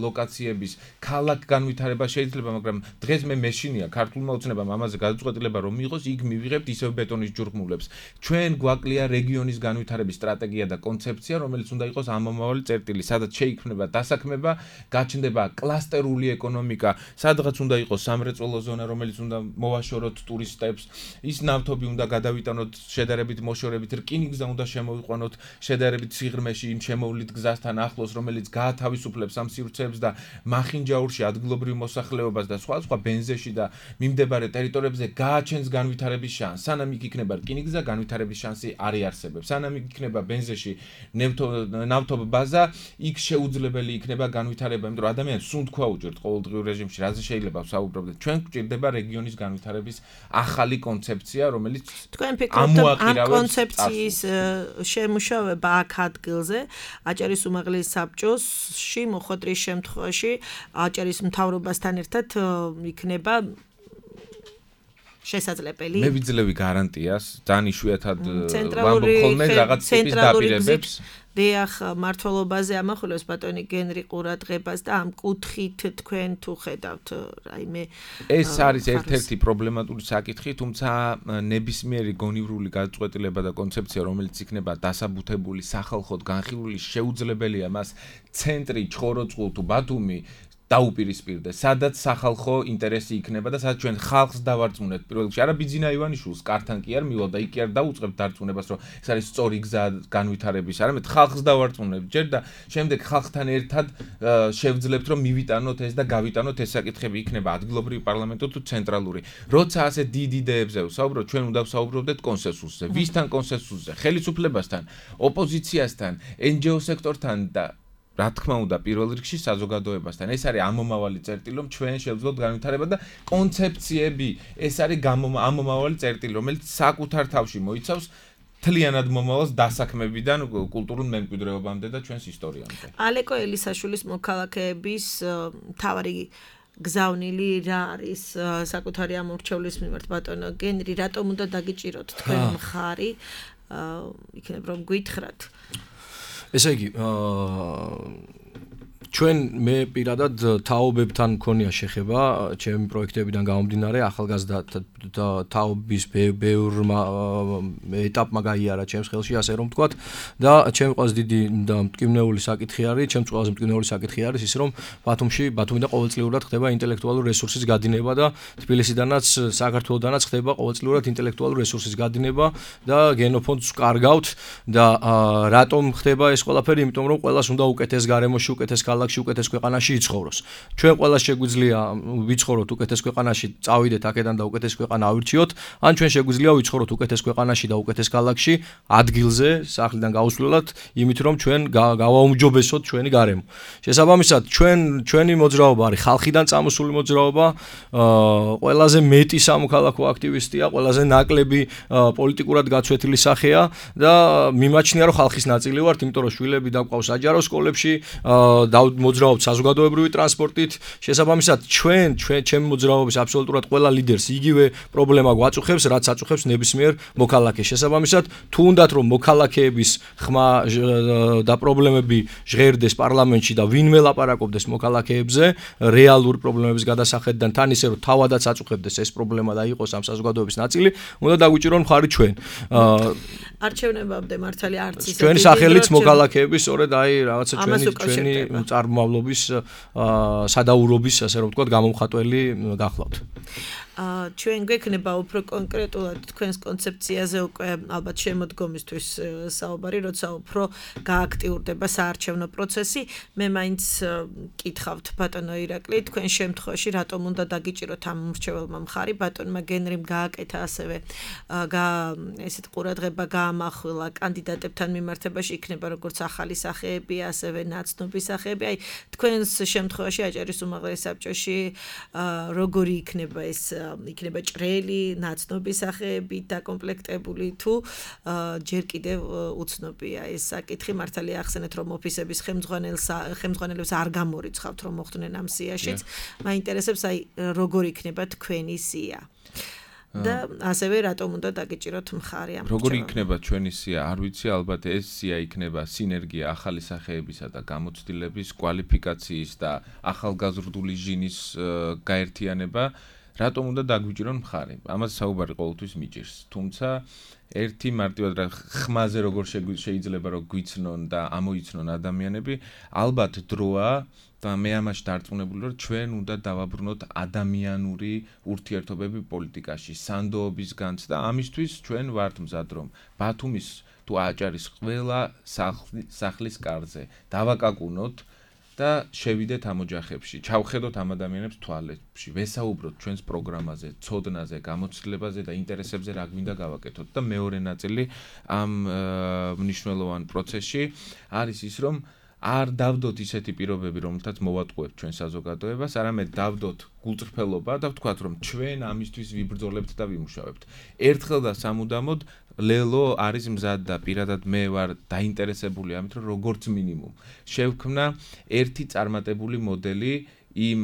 ლოკაციების, ქალაქ განვითარება შეიძლება, მაგრამ დღეს მე მეშინია ქართულმა ოცნებამ ამაზე გადაწყვეტილება რომ მიიღოს, იქ მივიღებთ ისევ ბეტონის ჯურღმულებს. ჩვენ გვაკლია რეგიონის განვითარების სტრატეგია და კონცეფცია, რომელიც უნდა იყოს ამომავალი წერტილი, სადაც შეიქმნება დასაქმება, გაჩნდება კლასტერული ეკონომიკა, სადღაც უნდა იყოს სამრეწველო ზონა, რომელიც უნდა მოვაშოროთ ტურისტებს, ის ნავთობი უნდა გადავიტანოთ შედარებით მოშორებით, რკინიგზა უნდა შემოვიყვანოთ შედარებით სიღრმეში იმ შემოვლით გზასთან ახლოს, რომელიც გაათავისუფლებს ამ სივრცეებს და მახინჯაურში ადგილობრივ მოსახლეობას და სხვა ბენზეში და მიმდებარე ტერიტორიებზე გააჩენს განვითარების შანსს. სანამ იქ იქნება რკინიგზა, განვითარების შანსი არ იარსებებს. სანამ იქ იქნება ბენზეში ნავთობბაზა, იქ შეუძლებელი იქნება განვითარება, იმიტომ რომ ადამიანს სუნთქვა უჭერთ ყოველდღიურ რეჟიმში, რაზე შეიძლება ვსაუბრობდეთ. ჩვენ გვჭირდება რეგიონის განვითარების ახალი კონცეფცია, რომელიც თქვენ ფიქრობთ ამ კონცეფციის შემუშავება აქ ადგილზე, აჭარის უმაღლეს საბჭოში მოხვედრის შემთხვევაში აჭარის მთავრობასთან ერთად იქნება შესაძლებელი? მე ვიძლევი გარანტიას, ძალიან იშვიათად ვამბობ ხოლმე რაღაც ტიპის დაპირებებს. დიახ, მართლობაზე ამახვილებს ბატონი გენრი ყურადღებას და ამ კუთხით თქვენ თუ ხედავთ, რაიმე ეს არის ერთ-ერთი პრობლემატური საკითხი, თუმცა ნებისმიერი გონივრული გადაწყვეტილება და კონცეფცია, რომელიც იქნება დასაბუთებული, სახალხოდ განხილული, შეუძლებელია მას ცენტრი, ჩხოროწყუ თუ ბათუმი დაუპირისპირდეს, სადაც სახალხო ინტერესი იქნება და სადაც ჩვენ ხალხს დავარწმუნებთ პირველ რიგში. არა ბიძინა ივანიშვილს კართან კი არ მივალ და იქ კი არ დაუწყებთ დარწმუნებას, რომ ეს არის სწორი გზა განვითარების, არამედ ხალხს დავარწმუნებთ ჯერ და შემდეგ ხალხთან ერთად შევძლებთ, რომ მივიტანოთ ეს და გავიტანოთ ეს საკითხები, იქნება ადგილობრივი პარლამენტო თუ ცენტრალური. როცა ასე დიდ იდეებზე ვსაუბრობთ, ჩვენ უნდა ვსაუბრობდეთ კონსენსუსზე. ვისთან კონსენსუსზე? ხელისუფლებასთან, ოპოზიციასთან, NGO სექტორთან და რა თქმა უნდა პირველ რიგში საზოგადოებასთან. ეს არის ამომავალი წერტილი, რომ ჩვენ შევძლოთ განვითარება და კონცეფციები, ეს არის ამომავალი წერტილი, რომელიც საკუთარ თავში მოიცავს თლიანად მომავალს დასაქმებიდან კულტურულ მემკვიდრეობამდე და ჩვენს ისტორიამდე. ალეკო ელისაშვილის მოქალაქეების თავარი გზავნილი რა არის საკუთარი ამორჩევლის მიმართ ბატონო გენრი, რატომ უნდა დაგიჭიროთ თქვენ მხარი? იქნებ რომ გითხრათ. ესე იგი, ჩვენ მე პირადად თაობებთან მქონია შეხება, ჩემი პროექტებიდან გამომდინარე, ახალგაზრდა თაობის ბევრმა ეტაპმა გაიარა ჩემს ხელში, ასე რომ ვთქვათ, და ჩემი ყველაზე დიდი და მტკივნეული საკითხი არის, ჩემს ყველაზე მტკივნეული საკითხი არის ის, რომ ბათუმიდან ყოველწლიურად ხდება ინტელექტუალური რესურსის გადინება და თბილისიდანაც, საქართველოდანაც ხდება ყოველწლიურად ინტელექტუალური რესურსის გადინება და გენოფონდს ვკარგავთ და რატომ ხდება ეს ყველაფერი? იმიტომ რომ ყველას უნდა უკეთეს გარემოში, უკეთეს ქალაქში, უკეთეს ქვეყანაში იცხოვროს. ჩვენ ყველას შეგვიძლია ვიცხოვროთ უკეთეს ქვეყანაში, წავიდეთ აქედან და უკეთეს ქვეყანა ავირჩიოთ, ან ჩვენ შეგვიძლია ვიცხოვროთ უკეთეს ქვეყანაში და უკეთეს ქალაქში, ადგილზე, სახლიდან გაუსვლელად, იმით რომ ჩვენ გავაუმჯობესოთ ჩვენი გარემო. შესაბამისად, ჩვენი მოძრაობა არის ხალხიდან წამოსული მოძრაობა, ყველაზე მეტი სამოქალაქო აქტივისტია, ყველაზე ნაკლები პოლიტიკურად გაცვეთილი სახეა და მიმაჩნია რომ ხალხის ნაწილი ვართ, იმიტომ რომ შვილები დაგვყავს საჯარო სკოლებში, მოძრაობთ საზოგადოებრივი ტრანსპორტით. შესაბამისად, ჩემი მოძრაობის აბსოლუტურად ყველა ლიდერს იგივე პრობლემა გვაწუხებს, რაც აწუხებს ნებისმიერ მოქალაქეს. შესაბამისად, თუ უნდათ რომ მოქალაქეების ხმა და პრობლემები ჟღერდეს პარლამენტში და ვინმე ლაპარაკობდეს მოქალაქეებზე, რეალური პრობლემების გადასახედიდან, თან ისე რომ თავადაც აწუხებდეს ეს პრობლემა და იყოს ამ საზოგადოების ნაწილი, უნდა დაგვიჭირონ მხარი ჩვენ. არჩევნებამდე მართალი არც ისე ჩვენი სახელით მოქალაქეების, სწორედ აი რაღაცა ჩვენი წარმომავლობის სადაურობის, ასე რომ ვთქვათ, გამომხატველი გახლავთ. ჩვენ გვექნება უფრო კონკრეტულად თქვენს კონცეფციაზე უკვე ალბათ შემოდგომისთვის საუბარი, როცა უფრო გააქტიურდება საარჩევნო პროცესი. მე მაინც კითხავთ ბატონო ირაკლი, თქვენ შემთხვევაში რატომ უნდა დაგიჭიროთ ამ მრჩეველმა მხარი? ბატონმა გენრიმ გააკეთა ასევე ესეთ ყურადღება გაამახვილა კანდიდატებთან მიმართებაში, იქნება როგორც ახალი სახეები, ასევე ნაცნობი სახეები. აი თქვენს შემთხვევაში აჭარის უმაღლეს საბჭოში როგორი იქნება ეს იქნება ჭრელი, ნაცნობი სახეები დაკომპლექტებული თუ ჯერ კიდევ უცნობია ეს საკითხი. მართალია ახსენეთ რომ ოფისების ხელმძღვანელებს არ გამორიცხავთ რომ მოხვდნენ ამ სიაშიც. მაინტერესებს აი როგორ იქნება თქვენი სია. და ასევე რატომ უნდა დაგიჭიროთ მხარი ამ როგორი იქნება ჩვენი სია? არ ვიცი, ალბათ ეს სია იქნება სინერგია ახალი სახეებისა და გამოცდილების, კვალიფიკაციის და ახალგაზრდული ჟინის გაერთიანება. რატომ უნდა დაგვიჭირონ მხარი? ამას საუბარი ყოველთვის მიჭირს. თუმცა ერთი მარტივად რა ხმაზე როგორ შეიძლება რომ გვიცნონ და ამოიცნონ ადამიანები, ალბათ დროა და მე ამაში დარწმუნებული ვარ, ჩვენ უნდა დავაბრუნოთ ადამიანური ურთიერთობები პოლიტიკაში, სანდოობის განცდა. ამისთვის ჩვენ ვართ მზად რომ ბათუმის თუ აჭარის ყველა სახლის კარზე დავაკაკუნოთ და შევიდეთ ამ ოჯახებში, ჩავხედოთ ამ ადამიანებს თვალებში, ვესაუბროთ ჩვენს პროგრამაზე, ცოდნაზე, გამოცდილებაზე და ინტერესებზე რა გვინდა გავაკეთოთ. და მეორე ნაწილი ამ მნიშვნელოვან პროცესში არის ის, რომ არ დავდოთ ისეთი პირობები, რომელთაც მოვატყუებთ ჩვენ საზოგადოებას, არამედ დავდოთ გულწრფელობა და ვთქვათ, რომ ჩვენ ამისთვის ვიბრძოლებთ და ვიმუშავებთ. ერთხელ და სამუდამოდ ლელო არის მზად და პირადად მე ვარ დაინტერესებული ამით, რომ როგორც მინიმუმ შევქმნა ერთი წარმატებული მოდელი იმ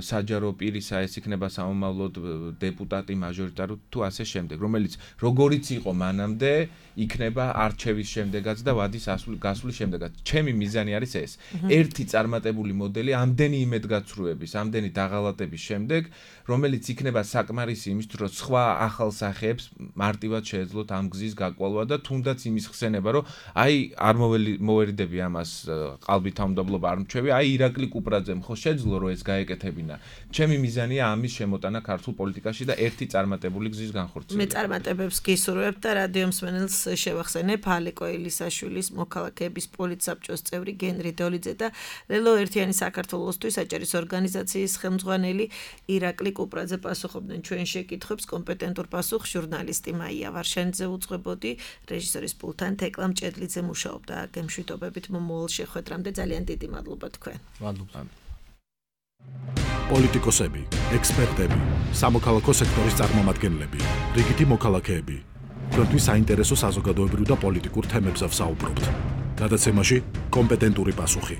საჯარო პირისა, ეს იქნება სამომავლოდ დეპუტატი, მაჟორიტარი თუ ასე შემდეგ, რომელიც როგორიც იყო მანამდე, იქნება არჩევის შემდეგაც და ვადის გასვლის შემდეგაც. ჩემი მიზანი არის ეს. ერთი წარმატებული მოდელი ამდენი იმედგაცრუების, ამდენი დაღალატების შემდეგ, რომელიც იქნება საკმარისი იმისთვის, რომ სხვა ახალ სახეებს მარტივად შეეძლოთ ამ გზის გაკვალვა და თუნდაც იმის ხსენება, რომ აი არ მოვერიდები ამას ყალბით თავმდაბლობა არ მჩვევი, აი ირაკლი კუპრაძემ ხო შეძლო რომ რომ ეს გაეკეთებინა. ჩემი მიზანია ამის შემოტანა ქართულ პოლიტიკაში და ერთი წარმატებული გზის განხორციელება. მე წარმატებებს გისურვებ და რადიო მსმენელს შევახსენებ ალეკო ელისაშვილის მოქალაქეების პოლიტსაბჭოს წევრი გენრი დოლიძე და ლელო ერთიანი საქართველოსთვის საჭირის ორგანიზაციის ხელმძღვანელი ირაკლი კუპრაძე პასუხობდნენ ჩვენ შეკითხვებს. კომპეტენტურ პასუხს ჟურნალისტი მაია ვარშანიძე უძღვებოდი, რეჟისორის პულტთან თეკლა მჭედლიძე მუშაობდა. გემშვიდობებით მომავალ შეხვედრამდე ძალიან დიდი მადლობა თქვენ. მადლობა. პოლიტიკოსები, ექსპერტები, სამოქალაქო სექტორის წარმომადგენლები, რიგითი მოქალაქეები. თქვენთვის საინტერესო საზოგადოებრივ და პოლიტიკურ თემებზე ვსაუბრობთ. გადაცემაში კომპეტენტური პასუხი.